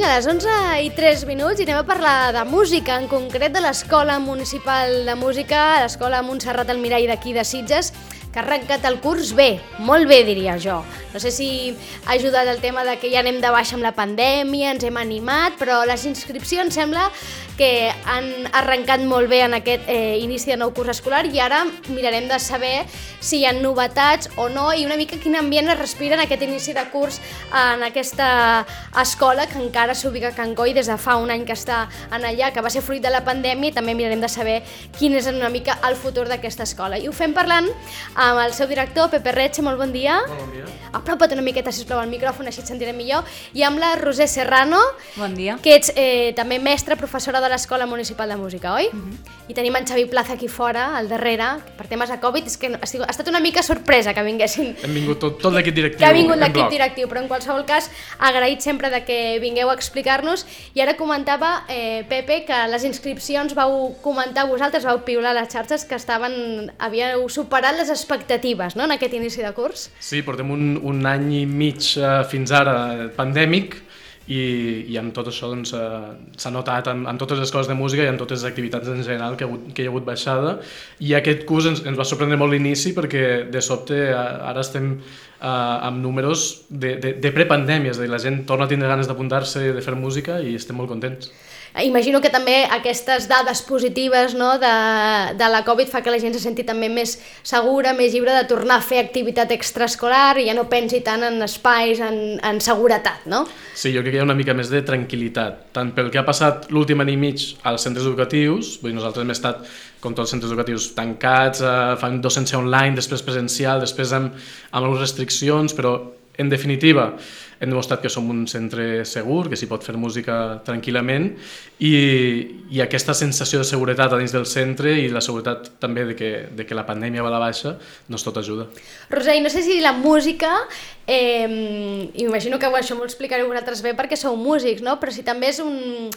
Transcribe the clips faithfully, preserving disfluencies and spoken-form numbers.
a les onze i tres minuts i anem a parlar de música, en concret de l'Escola Municipal de Música, l'Escola Montserrat Almirall d'aquí de Sitges, que ha arrencat el curs bé, molt bé diria jo. No sé si ha ajudat el tema de que ja anem de baixa amb la pandèmia, ens hem animat, però les inscripcions sembla que han arrencat molt bé en aquest eh, inici de nou curs escolar i ara mirarem de saber si hi ha novetats o no i una mica quin ambient es respira en aquest inici de curs en aquesta escola que encara s'ubica a Can Coi des de fa un any que està en allà, que va ser fruit de la pandèmia, i també mirarem de saber quin és una mica el futur d'aquesta escola. I ho fem parlant amb el seu director, Pepe Reche. Molt bon dia. Molt bon dia. Apropa't una miqueta, sisplau, al micròfon, així et sentirem millor. I amb la Roser Serrano, bon dia, que ets eh, també mestra, professora de l'Escola Municipal de Música, oi? Uh-huh. I tenim en Xavi Plaza aquí fora, al darrere, que per temes de Covid, és que ha, sigut, ha estat una mica sorpresa que vinguessin. Hem vingut tot, tot l'equip directiu. Que ha vingut l'equip directiu, però en qualsevol cas, agraït sempre de que vingueu a explicar-nos. I ara comentava, eh, Pepe, que les inscripcions vau comentar vosaltres, vau piular a les xarxes que estaven, havíeu superat les expectatives, no?, en aquest inici de curs. Sí, portem un, un any i mig uh, fins ara pandèmic i, i amb tot això doncs, uh, s'ha notat en, en totes les coses de música i en totes les activitats en general que, que hi ha hagut baixada, i aquest curs ens, ens va sorprendre molt l'inici perquè de sobte uh, ara estem uh, amb números de, de, de prepandèmia, és a dir, la gent torna a tindre ganes d'apuntar-se, de fer música, i estem molt contents. Imagino que també aquestes dades positives, no, de, de la Covid fa que la gent se senti també més segura, més lliure de tornar a fer activitat extraescolar i ja no pensi tant en espais, en, en seguretat, no? Sí, jo crec que hi ha una mica més de tranquil·litat, tant pel que ha passat l'últim any i mig als centres educatius, vull dir, nosaltres hem estat, com tots els centres educatius, tancats, eh, fan docència online, després presencial, després amb, amb algunes restriccions, però en definitiva hem demostrat que som un centre segur, que s'hi pot fer música tranquil·lament, i, i aquesta sensació de seguretat a dins del centre i la seguretat també de que, de que la pandèmia va a la baixa, doncs tot ajuda. Roser, no sé si la música, eh, imagino que això m'ho explicareu vosaltres bé perquè sou músics, no? Però si també és un...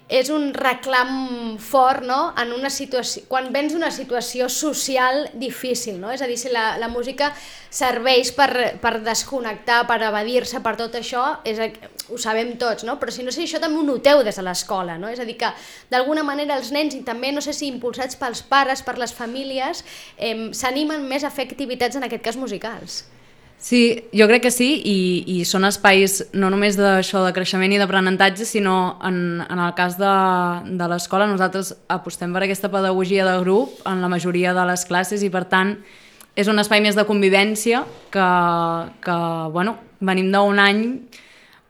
és un reclam fort, no?, en una situació, quan vens d'una situació social difícil, no? És a dir, si la, la música serveix per, per desconnectar, per evadir-se, per tot això, és, ho sabem tots, no? Però si no sé, això també ho noteu des de l'escola, no? És a dir, que d'alguna manera els nens, i també no sé si impulsats pels pares, per les famílies, eh, s'animen més a fer activitats, en aquest cas musicals. Sí, jo crec que sí, i, i són espais no només d'això de creixement i d'aprenentatge, sinó en, en el cas de, de l'escola nosaltres apostem per aquesta pedagogia de grup en la majoria de les classes i per tant és un espai més de convivència que, que bueno, venim d'un any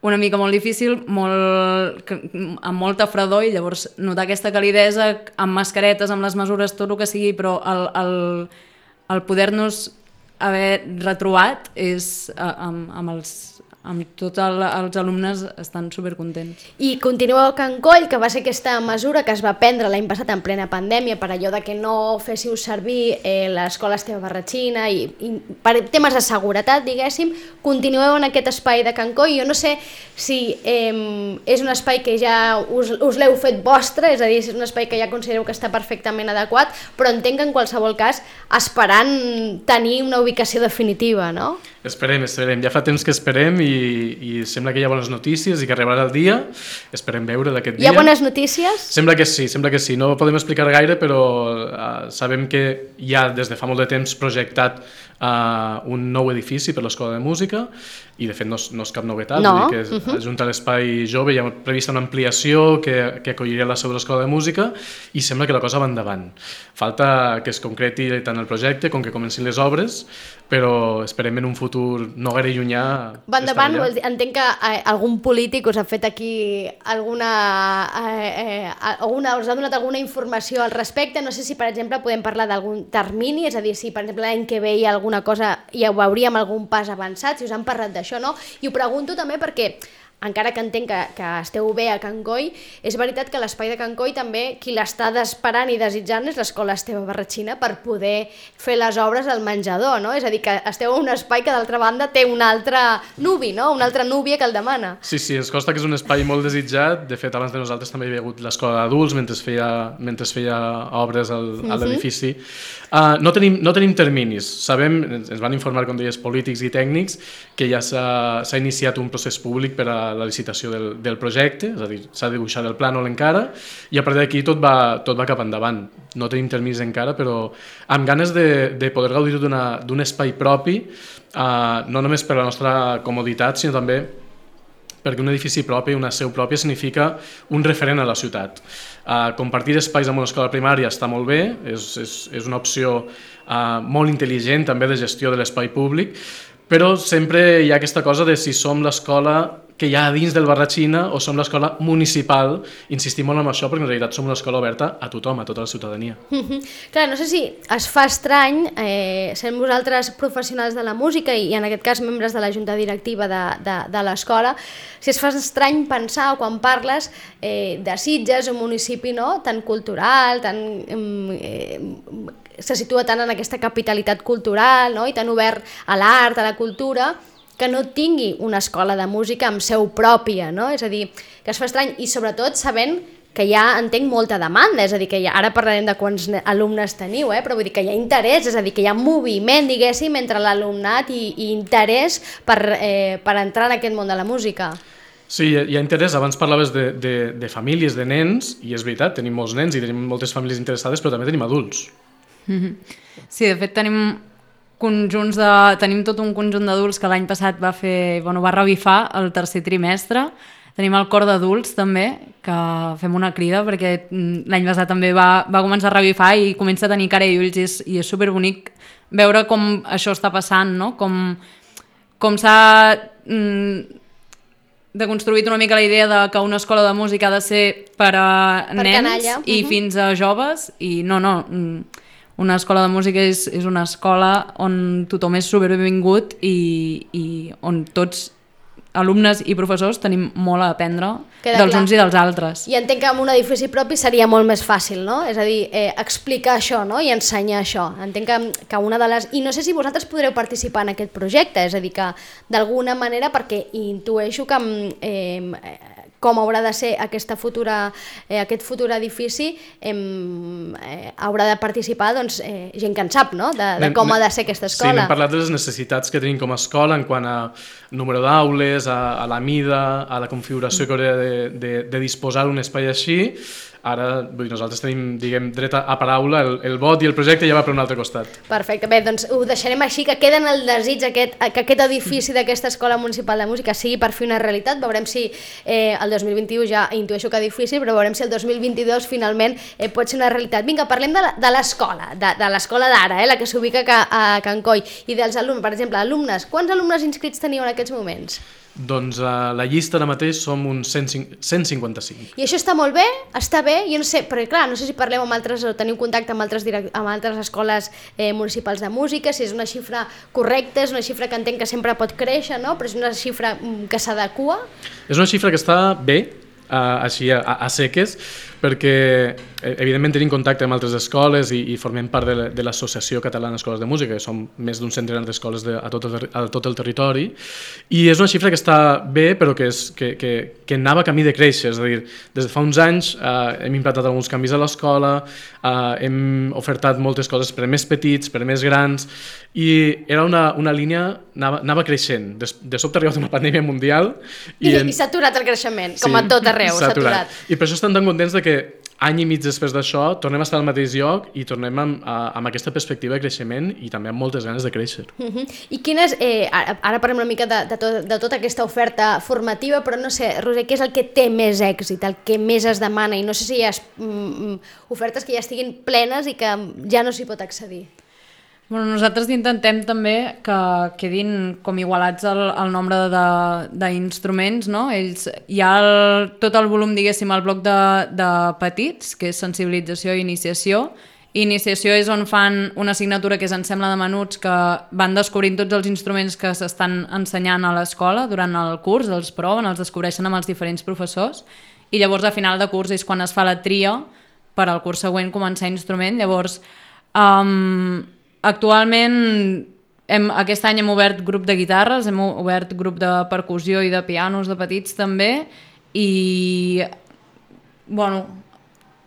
una mica molt difícil, molt, que, amb molta fredor, i llavors notar aquesta calidesa amb mascaretes, amb les mesures, tot el que sigui, però el, el, el poder-nos haver retrobat és amb, amb els amb tots el, els alumnes estan supercontents. I continueu a Can Coll, que va ser aquesta mesura que es va prendre l'any passat en plena pandèmia per allò de que no féssiu servir eh, l'escola Esteve Barratxina i, i per temes de seguretat, diguéssim, continueu en aquest espai de Can Coll. Jo no sé si eh, és un espai que ja us, us l'heu fet vostre, és a dir, si és un espai que ja considereu que està perfectament adequat, però entenc que en qualsevol cas esperant tenir una ubicació definitiva, no? Esperem, esperem. Ja fa temps que esperem i, i sembla que hi ha bones notícies i que arribarà el dia. Esperem veure d'aquest dia. Hi ha bones notícies? Sembla que sí, sembla que sí. No podem explicar gaire, però uh, sabem que hi ha des de fa molt de temps projectat uh, un nou edifici per l'Escola de Música i de fet no és, no és cap novetat, no. Vull dir que és, uh-huh. Junta a l'espai jove hi ha prevista una ampliació que, que acolliria la seu de l'Escola de Música i sembla que la cosa va endavant. Falta que es concreti tant el projecte com que comencin les obres, però esperem en un futur no gaire llunyà. Va endavant, entenc que eh, algun polític us ha fet aquí alguna, eh, eh, alguna, us ha donat alguna informació al respecte. No sé si, per exemple, podem parlar d'algun termini, és a dir, si, per exemple, l'any que ve hi ha alguna cosa, ja ho veuríem algun pas avançat, si us han parlat d'això, no? I ho pregunto també perquè encara que entenc que, que esteu bé a Can Coi, és veritat que l'espai de Can Coi també qui l'està esperant i desitjant és l'Escola Esteve Barratxina per poder fer les obres al menjador, no? És a dir, que esteu en un espai que d'altra banda té un altre nuvi, no? Una altra núvia que el demana. Sí, sí, ens consta que és un espai molt desitjat. De fet, abans de nosaltres també hi havia hagut l'Escola d'Adults mentre feia, mentre feia obres al, uh-huh. a l'edifici. Uh, no, tenim, no tenim terminis. Sabem, ens van informar, com deies, polítics i tècnics, que ja s'ha iniciat un procés públic per a la, la licitació del, del projecte, és a dir, s'ha de dibuixar el plànol encara, i a partir d'aquí tot, va, tot va cap endavant. No tenim terminis encara, però amb ganes de, de poder gaudir d'un espai propi, uh, no només per la nostra comoditat, sinó també perquè un edifici propi, una seu pròpia, significa un referent a la ciutat. Uh, compartir espais amb una escola primària està molt bé, és, és, és una opció uh, molt intel·ligent també de gestió de l'espai públic, però sempre hi ha aquesta cosa de si som l'escola que hi ha dins del Barratxina o som l'escola municipal. Insistim molt en això perquè en realitat som una escola oberta a tothom, a tota la ciutadania. Mm-hmm. Clar, no sé si es fa estrany, eh, sent vosaltres professionals de la música i en aquest cas membres de la junta directiva de, de, de l'escola, si es fa estrany pensar quan parles eh, de Sitges, un municipi no, tan cultural, tan... Eh, se situa tant en aquesta capitalitat cultural, no? I tan obert a l'art, a la cultura, que no tingui una escola de música amb seu pròpia, no? És a dir, que es fa estrany, i sobretot sabent que hi ha, entenc, molta demanda, és a dir, que ja, ara parlarem de quants alumnes teniu, eh? Però vull dir que hi ha interès, és a dir, que hi ha moviment, diguéssim, entre l'alumnat i, i interès per, eh, per entrar en aquest món de la música. Sí, hi ha interès. Abans parlaves de, de, de famílies, de nens, i és veritat, tenim molts nens i tenim moltes famílies interessades, però també tenim adults. Sí, de fet tenim conjunts de... tenim tot un conjunt d'adults que l'any passat va fer, bueno, va revifar el tercer trimestre. Tenim el cor d'adults també, que fem una crida perquè l'any passat també va, va començar a revifar i comença a tenir cara i ulls, i és, i és superbonic veure com això està passant, no? Com, com s'ha mm, deconstruït una mica la idea de que una escola de música ha de ser per a per nens canalla. I uh-huh. fins a joves, i no, no... Mm, una escola de música és, és una escola on tothom és superbenvingut i, i on tots, alumnes i professors, tenim molt a aprendre Queda dels clar. Uns i dels altres. I entenc que amb un edifici propi seria molt més fàcil, no? És a dir, eh, explicar això, no? I ensenyar això. Entenc que, que una de les... I no sé si vosaltres podreu participar en aquest projecte, és a dir, que d'alguna manera, perquè intueixo que... Eh, com haurà de ser aquesta futura, eh, aquest futur edifici, eh, eh, haurà de participar doncs, eh, gent que en sap, no? de, de com ha de ser aquesta escola. Sí, n'hem parlat de les necessitats que tenim com a escola en quant a número d'aules, a, a la mida, a la configuració que hauria de, de, de disposar un espai així. Ara vull dir, nosaltres tenim, diguem, dret a paraula, el, el vot i el projecte ja va per un altre costat. Perfecte, bé, doncs ho deixarem així, que queda en el desig aquest, que aquest edifici d'aquesta Escola Municipal de Música sigui per fi una realitat. Veurem si eh, el dos mil vint-i-u ja intueixo que difícil, però veurem si el dos mil vint-i-dos finalment eh, pot ser una realitat. Vinga, parlem de l'escola, de, de l'escola d'ara, eh, la que s'ubica a, a Can Coll, i dels alumnes, per exemple, alumnes. Quants alumnes inscrits teniu en aquests moments? Doncs a la llista ara mateix som uns cent cinquanta-cinc. I això està molt bé? Està bé? Jo no sé, però clar, no sé si parlem amb altres o teniu contacte amb altres, direct, amb altres escoles eh, municipals de música, si és una xifra correcta, és una xifra que entenc que sempre pot créixer, no? Però és una xifra que s'adequa? És una xifra que està bé, a, així a, a seques, perquè evidentment tenim contacte amb altres escoles i, i formem part de, de l'Associació Catalana d'Escoles de Música, que som més d'un centenar d'escoles de, a, tot el, a tot el territori, i és una xifra que està bé, però que, és, que, que, que anava camí de créixer, és a dir, des de fa uns anys eh, hem implantat alguns canvis a l'escola, eh, hem ofertat moltes coses per a més petits, per a més grans, i era una, una línia, anava, anava creixent. De, de sobte ha arribat una pandèmia mundial i, i, en... i s'ha aturat el creixement, com sí, a tot arreu, s'ha aturat. aturat. I per això estem tan contents de que any i mig després d'això tornem a estar al mateix lloc i tornem amb, amb aquesta perspectiva de creixement i també amb moltes ganes de créixer. Uh-huh. I quines, eh, ara, ara parlem una mica de, de, tot, de tota aquesta oferta formativa, però no sé, Roser, què és el que té més èxit, el que més es demana? I no sé si hi ha mm, ofertes que ja estiguin plenes i que ja no s'hi pot accedir. Bueno, nosaltres intentem també que quedin com igualats el, el nombre d'instruments, no? Ells, hi ha el, tot el volum, diguéssim, el bloc de, de petits, que és sensibilització i iniciació. Iniciació és on fan una assignatura que és Ensemble de Menuts, que van descobrint tots els instruments que s'estan ensenyant a l'escola durant el curs, els proven, els descobreixen amb els diferents professors, i llavors a final de curs és quan es fa la tria per al curs següent començar instrument. Llavors, um, actualment, hem, aquest any hem obert grup de guitarres, hem obert grup de percussió i de pianos de petits també, i bueno,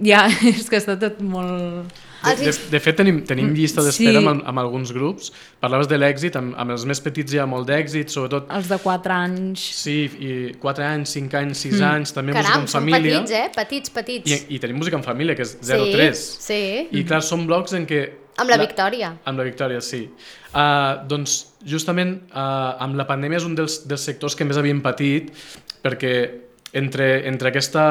ja és que està tot molt... De, de, de fet, tenim, tenim llista d'espera Sí. amb, amb alguns grups. Parlaves de l'èxit, amb, amb els més petits hi ha molt d'èxit, sobretot... Els de quatre anys. Sí, i quatre anys, cinc anys, sis anys, també Caram, música en són família. petits, eh? Petits, petits. I, I tenim música en família, que és zero tres. Sí, sí. I clar, són blocs en què... Amb la Victòria. Amb la Victòria, sí. Uh, doncs, justament, uh, amb la pandèmia és un dels, dels sectors que més havien patit, perquè entre, entre aquesta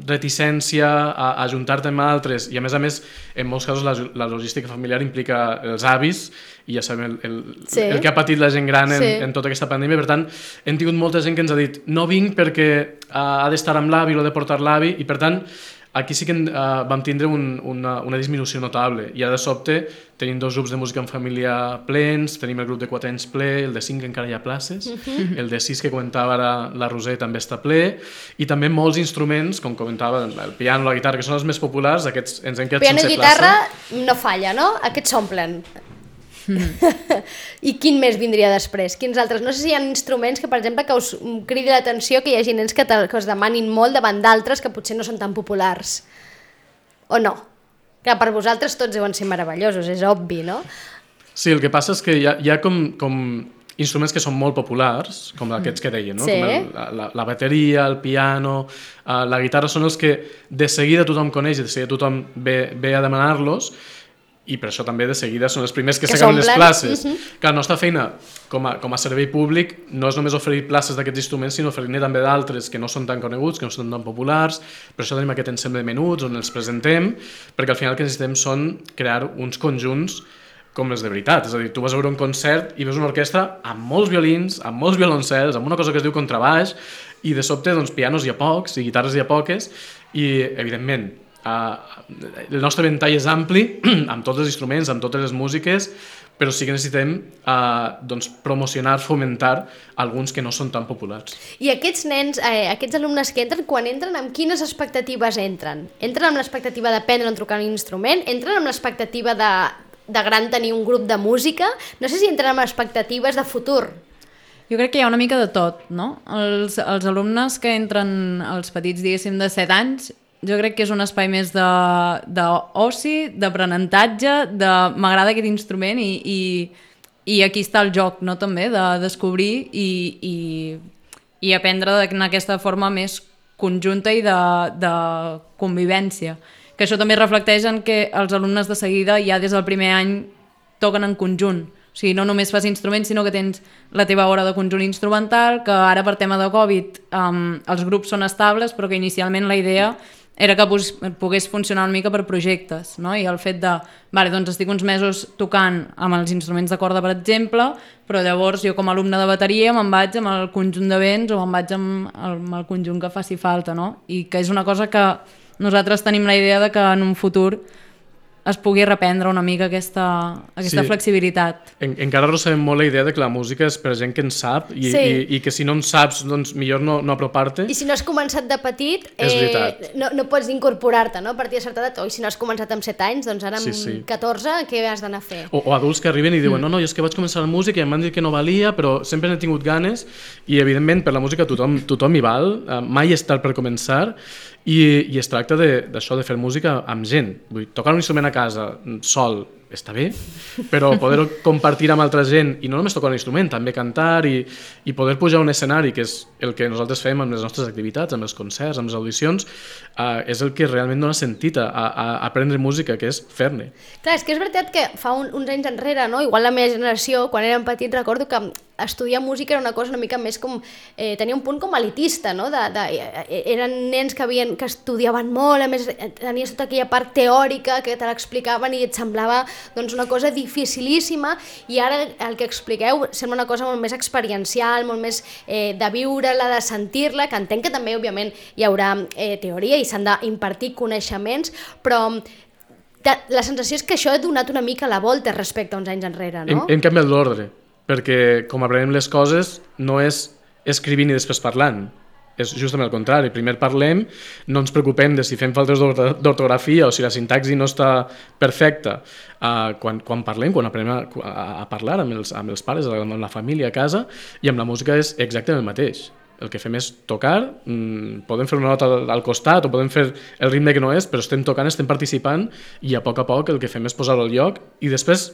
reticència a, a ajuntar-te amb altres i, a més a més, en molts casos la, la logística familiar implica els avis i ja sabem el, el, sí. el que ha patit la gent gran en, sí. en tota aquesta pandèmia. Per tant, hem tingut molta gent que ens ha dit no vinc perquè uh, ha d'estar amb l'avi o ha de portar l'avi i, per tant, aquí sí que uh, vam tindre un, una, una disminució notable i ara de sobte tenim dos grups de música en família plens, tenim el grup de quatre anys ple, el de cinc encara hi ha places, uh-huh. el de sis que comentava ara la Roser també està ple i també molts instruments, com comentava el piano, la guitarra, que són els més populars, aquests ens han quedat piano sense i guitarra plaça. no falla, no? Aquests s'omplen. I quin més vindria després? Quins altres? No sé si hi ha instruments que, per exemple, que us cridi l'atenció que hi hagi nens que, te, que us demanin molt davant d'altres que potser no són tan populars. O no? Que per vosaltres tots deuen ser meravellosos, és obvi, no? Sí, el que passa és que hi ha, hi ha com, com instruments que són molt populars, com aquests que deien, no? Sí. Com el, la, la bateria, el piano, uh, la guitarra, són els que de seguida tothom coneix i de seguida tothom ve, ve a demanar-los, i per això també de seguida són els primers que, que s'acaben les places. Uh-huh. Que la nostra feina com a, com a servei públic no és només oferir places d'aquests instruments, sinó oferir-ne també d'altres que no són tan coneguts, que no són tan populars. Per això tenim aquest ensemble de menuts on els presentem, perquè al final el que necessitem són crear uns conjunts com els de veritat. És a dir, tu vas a veure un concert i veus una orquestra amb molts violins, amb molts violoncels, amb una cosa que es diu contrabaix, i de sobte doncs, pianos hi ha pocs i guitarres hi ha poques, i evidentment Uh, el nostre ventall és ampli amb tots els instruments, amb totes les músiques, però sí que necessitem uh, doncs, promocionar, fomentar alguns que no són tan populars. I aquests nens, eh, aquests alumnes que entren, quan entren, amb quines expectatives entren? Entren amb l'expectativa d'aprendre a trucar un instrument? Entren amb l'expectativa de, de gran tenir un grup de música? No sé si entren amb expectatives de futur. Jo crec que hi ha una mica de tot, no? Els, els alumnes que entren, els petits, diguéssim, de set anys, jo crec que és un espai més d'oci, d'aprenentatge, de m'agrada aquest instrument i, i, i aquí està el joc, no? També, de descobrir i, i, i aprendre en aquesta forma més conjunta i de, de convivència. Que això també reflecteix en que els alumnes de seguida ja des del primer any toquen en conjunt. O sigui, no només fas instruments, sinó que tens la teva hora de conjunt instrumental, que ara per tema de Covid um, els grups són estables, però que inicialment la idea era que pogués funcionar una mica per projectes, no? I el fet de, vale, doncs estic uns mesos tocant amb els instruments de corda, per exemple, però llavors jo com a alumne de bateria me'n vaig amb el conjunt de vents o me'n vaig amb el, amb el conjunt que faci falta, no? I que és una cosa que nosaltres tenim la idea de que en un futur es pugui reprendre una mica aquesta, aquesta sí. flexibilitat. En, encara arrossegem molt la idea de que la música és per gent que en sap i, sí. i, i que si no en saps, doncs millor no, no apropar-te. I si no has començat de petit, eh, no, no pots incorporar-te, no? A partir de certa edat, o si no has començat amb set anys, doncs ara amb sí, sí. catorze, què has d'anar a fer? O, o adults que arriben i diuen, mm. no, no, és que vaig començar la música i em van dir que no valia, però sempre n'he tingut ganes i evidentment per la música tothom, tothom hi val, uh, mai és tard per començar. I, i es tracta d'això, de, de fer música amb gent. Vull dir, tocar un instrument a casa sol està bé, però poder compartir amb altra gent i no només tocar un instrument, també cantar i, i poder pujar a un escenari, que és el que nosaltres fem amb les nostres activitats, amb els concerts, amb les audicions, uh, és el que realment dona sentit a, a, a aprendre música, que és fer-ne. Clar, és que és veritat que fa un, uns anys enrere, no? Igual la meva generació, quan érem petits, recordo que estudiar música era una cosa una mica més com... Eh, tenia un punt com elitista, no? De, de, eren nens que, havien, que estudiaven molt, a més tenies tota aquella part teòrica que te l'explicaven i et semblava doncs, una cosa dificilíssima, i ara el que expliqueu sembla una cosa molt més experiencial, molt més eh, de viure-la, de sentir-la, que entenc que també, òbviament, hi haurà eh, teoria i s'han d'impartir coneixements, però la sensació és que això ha donat una mica la volta respecte a uns anys enrere, no? Hem, hem canviat l'ordre, perquè com aprenem les coses no és escrivint i després parlant, és justament el contrari. Primer parlem, no ens preocupem de si fem faltes d'ortografia o si la sintaxi no està perfecta. Uh, quan, quan parlem, quan aprenem a, a, a parlar amb els, amb els pares, amb la família a casa, i amb la música és exactament el mateix. el que fem és tocar, mmm, podem fer una nota al costat o podem fer el ritme que no és, però estem tocant, estem participant i a poc a poc el que fem és posar-ho al lloc i després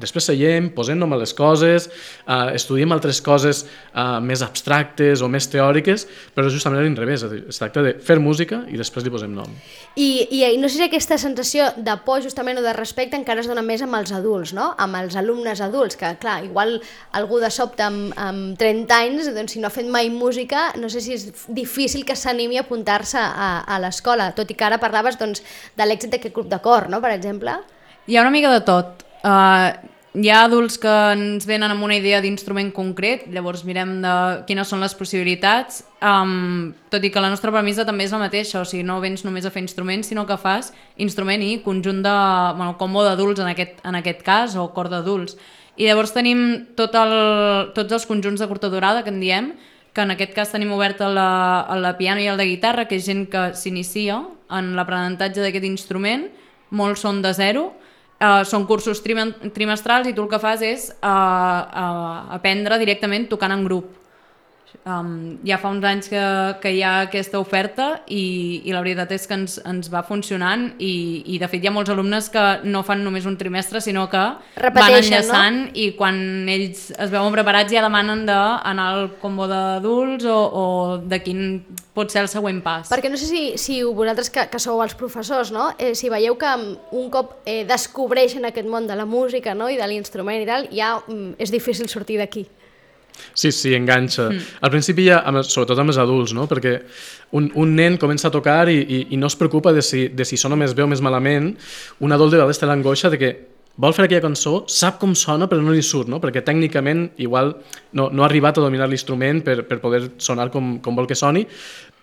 Després seiem, posem nom a les coses, eh, estudiem altres coses eh, més abstractes o més teòriques, però justament a l'inrevés, es tracta de fer música i després li posem nom. I, i no sé si aquesta sensació de por justament o de respecte encara es dona més amb els adults, no? Amb els alumnes adults, que clar, igual algú de sobte amb, amb trenta anys, doncs, si no ha fet mai música, no sé si és difícil que s'animi a apuntar-se a, a l'escola, tot i que ara parlaves doncs, de l'èxit d'aquest grup de cor, no? Per exemple. Hi ha una mica de tot. Uh, hi ha adults que ens venen amb una idea d'instrument concret, llavors mirem de quines són les possibilitats, um, tot i que la nostra premissa també és la mateixa, o sigui, no vens només a fer instruments, sinó que fas instrument i conjunt de, bueno, combo d'adults en aquest, en aquest cas, o cor d'adults. I llavors tenim tot el, tots els conjunts de curta durada que en diem, que en aquest cas tenim obert el de piano i el de guitarra, que és gent que s'inicia en l'aprenentatge d'aquest instrument, molts són de zero. Uh, són cursos trimestrals i tu el que fas és uh, uh, aprendre directament tocant en grup. Um, ja fa uns anys que, que hi ha aquesta oferta i, i la veritat és que ens, ens va funcionant i, i de fet hi ha molts alumnes que no fan només un trimestre sinó que van enllaçant, no? I quan ells es veuen preparats ja demanen d'anar al combo d'adults o, o de quin pot ser el següent pas. Perquè no sé si, si vosaltres que, que sou els professors, no? eh, si veieu que un cop eh, descobreixen aquest món de la música, no? I de l'instrument i tal, ja mm, és difícil sortir d'aquí. Sí, sí, enganxa. Mm. Al principi ja, sobretot amb els adults, no? Perquè un, un nen comença a tocar i, i, i no es preocupa de si, de si sona més bé o més malament. Un adult de vegades té l'angoixa de que vol fer aquella cançó, sap com sona però no li surt, no? Perquè tècnicament igual no, no ha arribat a dominar l'instrument per, per poder sonar com, com vol que soni,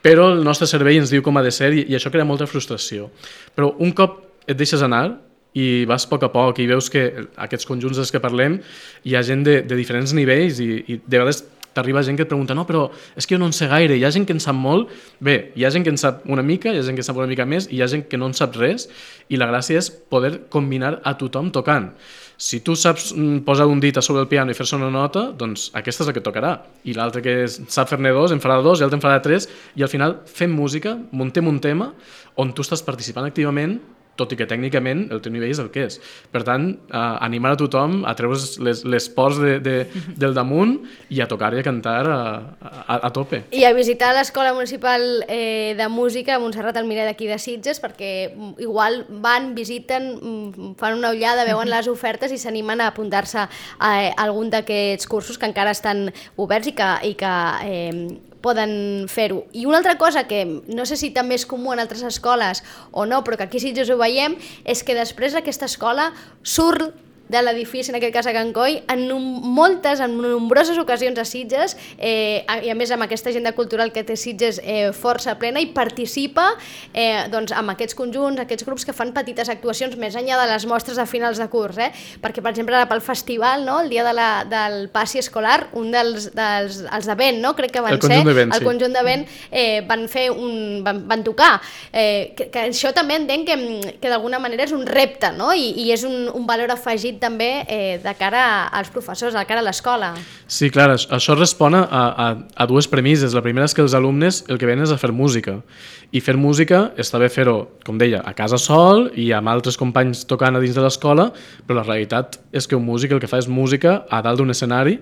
però el nostre cervell ens diu com ha de ser i, i això crea molta frustració. Però un cop et deixes anar i vas a poc a poc i veus que aquests conjunts dels que parlem hi ha gent de, de diferents nivells i, i de vegades t'arriba gent que et pregunta no, però és que jo no en sé gaire, hi ha gent que en sap molt, bé, hi ha gent que en sap una mica, hi ha gent que en sap una mica més i hi ha gent que no en sap res i la gràcia és poder combinar a tothom tocant. Si tu saps posar un dit a sobre el piano i fer-se una nota, doncs aquesta és la que tocarà i l'altre que sap fer-ne dos en farà dos i l'altre en farà tres i al final fem música, muntem un tema on tu estàs participant activament tot i que tècnicament el teu nivell és el que és. Per tant, eh, animar a tothom a treure's les, les pors de, de, del damunt i a tocar i a cantar a, a, a tope. I a visitar l'Escola Municipal eh, de Música a Montserrat al Mirer d'aquí de Sitges, perquè igual van, visiten, fan una ullada, veuen les ofertes i s'animen a apuntar-se a, a algun d'aquests cursos que encara estan oberts i que, i que eh, poden fer-ho. I una altra cosa que no sé si també és comú en altres escoles o no, però que aquí sí ho veiem, és que després aquesta escola surt de l'edifici, en aquest cas a Can Coi, en moltes, en nombroses ocasions a Sitges, eh, i a més amb aquesta agenda cultural que té Sitges eh, força plena, i participa eh, doncs, amb aquests conjunts, aquests grups que fan petites actuacions més enllà de les mostres de finals de curs, eh? Perquè per exemple ara pel festival, no? El dia de la, del passi escolar, un dels, dels els de vent, no? Crec que van el ser, conjunt de vent, el conjunt de vent eh, van fer un, van, van tocar, eh, que, que això també entenc que, que d'alguna manera és un repte, no? I, i és un, un valor afegit també eh, de cara als professors, de cara a l'escola. Sí, clar, això respon a, a, a dues premisses. La primera és que els alumnes el que venen és a fer música. I fer música està bé fer-ho, com deia, a casa sol i amb altres companys tocant a dins de l'escola, però la realitat és que un músic el que fa és música a dalt d'un escenari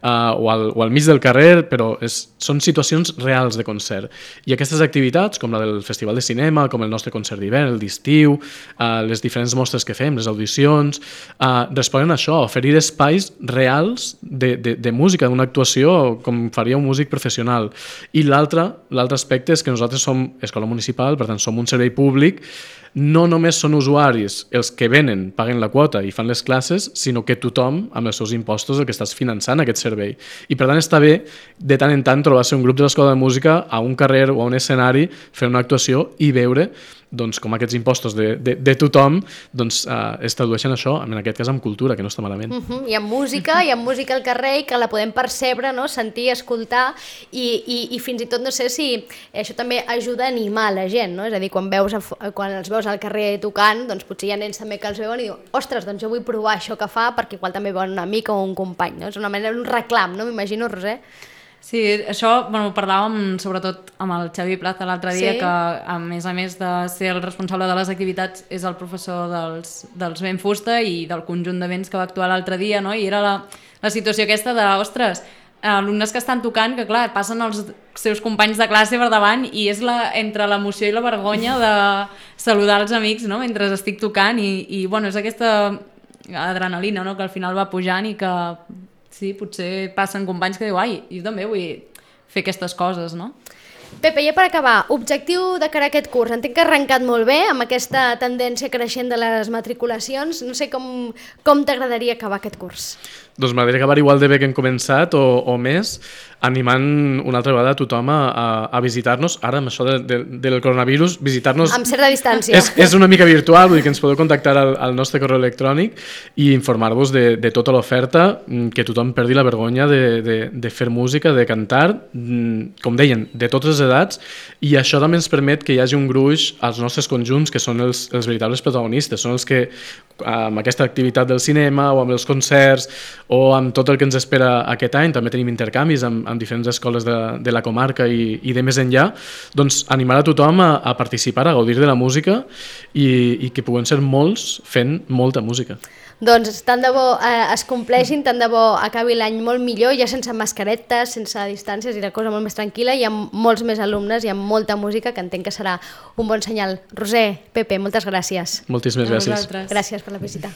uh, o, al, o al mig del carrer, però és, són situacions reals de concert. I aquestes activitats, com la del Festival de Cinema, com el nostre concert d'hivern, el d'estiu, uh, les diferents mostres que fem, les audicions, uh, responen a això, a oferir espais reals de, de, de música, d'una actuació com faria un músic professional. I l'altre l'altre aspecte és que nosaltres som escola municipal, per tant som un servei públic, no només són usuaris els que venen, paguen la quota i fan les classes, sinó que tothom, amb els seus impostos, el que estàs finançant aquest servei. I per tant està bé, de tant en tant, trobar-se un grup de l'escola de música a un carrer o a un escenari, fer una actuació i veure doncs, com aquests impostos de, de, de tothom doncs, uh, es tradueixen això, en aquest cas amb cultura, que no està malament. Uh -huh. I amb música, i amb música al carrer, i que la podem percebre, no? Sentir, escoltar, i, i, i fins i tot no sé si això també ajuda a animar la gent, no? És a dir, quan, veus a, quan els veus al carrer tocant, doncs potser hi ha nens també que els veuen i diuen, ostres, doncs jo vull provar això que fa, perquè igual també veuen un amic o un company, no? És una manera, un reclam, no? M'imagino, Roser? Sí, això bueno, parlàvem sobretot amb el Xavi Plaza l'altre dia, sí. que a més a més de ser el responsable de les activitats és el professor dels, dels Vent Fusta i del conjunt de vents que va actuar l'altre dia, no? I era la, la situació aquesta de, ostres, alumnes que estan tocant, que clar, passen els seus companys de classe per davant i és la, entre l'emoció i la vergonya de saludar els amics, no? Mentre estic tocant i, i bueno, és aquesta adrenalina, no? Que al final va pujant i que sí, potser passen companys que diu ai, jo també vull fer aquestes coses, no? Pepe, ja per acabar, objectiu de cara a aquest curs. Entenc que ha arrencat molt bé amb aquesta tendència creixent de les matriculacions. No sé com, com t'agradaria acabar aquest curs. Doncs m'agradaria acabar igual de bé que hem començat o, o més, animant una altra vegada a tothom a, a, a visitar-nos. Ara, amb això de, de, del coronavirus, visitar-nos... Amb certa distància. És, és una mica virtual, vull dir que ens podeu contactar al, al nostre correu electrònic i informar-vos de, de tota l'oferta, que tothom perdi la vergonya de, de, de fer música, de cantar, com deien, de totes les edats, i això també ens permet que hi hagi un gruix als nostres conjunts que són els, els veritables protagonistes, són els que amb aquesta activitat del cinema o amb els concerts o amb tot el que ens espera aquest any, també tenim intercanvis amb, amb diferents escoles de, de la comarca i, i de més enllà, doncs animar a tothom a, a participar, a gaudir de la música i, i que puguem ser molts fent molta música. Doncs tant de bo eh, es compleixin, tant de bo acabi l'any molt millor, ja sense mascaretes, sense distàncies i la cosa molt més tranquil·la i amb molts més alumnes i amb molta música, que entenc que serà un bon senyal. Roser, Pepe, moltes gràcies. Moltíssimes gràcies. Gràcies per la visita.